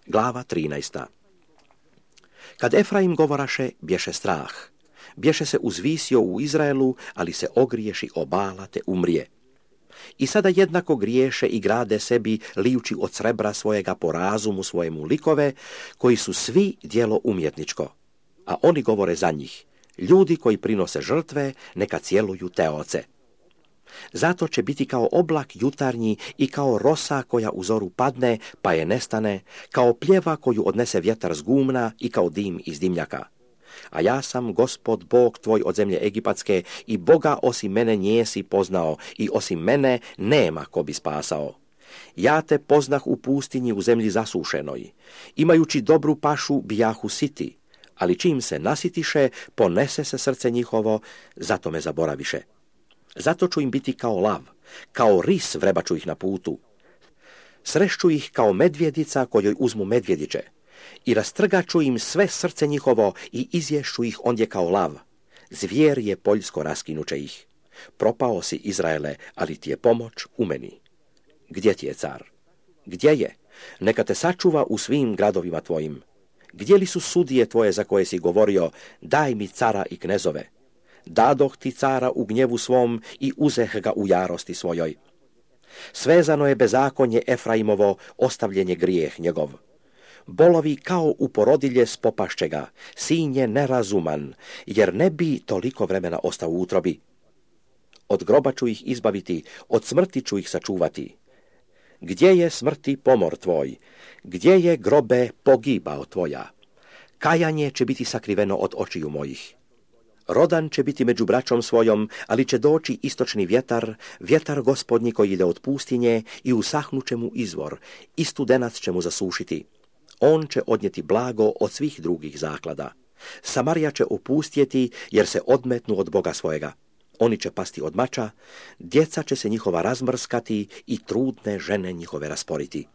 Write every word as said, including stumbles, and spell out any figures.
Glava trinaesta. Kad Efraim govoraše, bješe strah. Bješe se uzvisio u Izraelu, ali se ogriješi o Bala te umrije. I sada jednako griješe i grade sebi, lijući od srebra svojega po razumu svojemu likove, koji su svi djelo umjetničko. A oni govore za njih, ljudi koji prinose žrtve, neka cjeluju te oce. Zato će biti kao oblak jutarnji i kao rosa koja u zoru padne, pa je nestane, kao pljeva koju odnese vjetar s gumna i kao dim iz dimnjaka. A ja sam Gospod Bog tvoj od zemlje Egipatske i Boga osim mene njesi poznao i osim mene nema ko bi spasao. Ja te poznah u pustinji u zemlji zasušenoj. Imajući dobru pašu bijahu siti, ali čim se nasitiše, ponese se srce njihovo, zato me zaboraviše. Zato ću im biti kao lav, kao ris vrebaću ih na putu. Srešću ih kao medvjedica kojoj uzmu medvjediće. I rastrgaću im sve srce njihovo i izješću ih ondje kao lav. Zvijer je poljsko raskinuće ih. Propao si, Izraele, ali ti je pomoć u meni. Gdje ti je car? Gdje je? Neka te sačuva u svim gradovima tvojim. Gdje li su sudije tvoje za koje si govorio, daj mi cara i knezove? Dadoh ti cara u gnjevu svom i uzeh ga u jarosti svojoj. Svezano je bezakonje Efraimovo, ostavljen je grijeh njegov. Bolovi kao u porodilje spopašće ga, sin je nerazuman, jer ne bi toliko vremena ostao u utrobi. Od groba ću ih izbaviti, od smrti ću ih sačuvati. Gdje je smrti pomor tvoj? Gdje je grobe pogibao tvoja? Kajanje će biti sakriveno od očiju mojih. Rodan će biti među braćom svojom, ali će doći istočni vjetar, vjetar Gospodnji koji ide od pustinje i usahnuće mu izvor, i studenac će mu zasušiti. On će odnijeti blago od svih drugih zaklada. Samarija će opustjeti jer se odmetnu od Boga svojega. Oni će pasti od mača, djeca će se njihova razmrskati i trudne žene njihove rasporiti.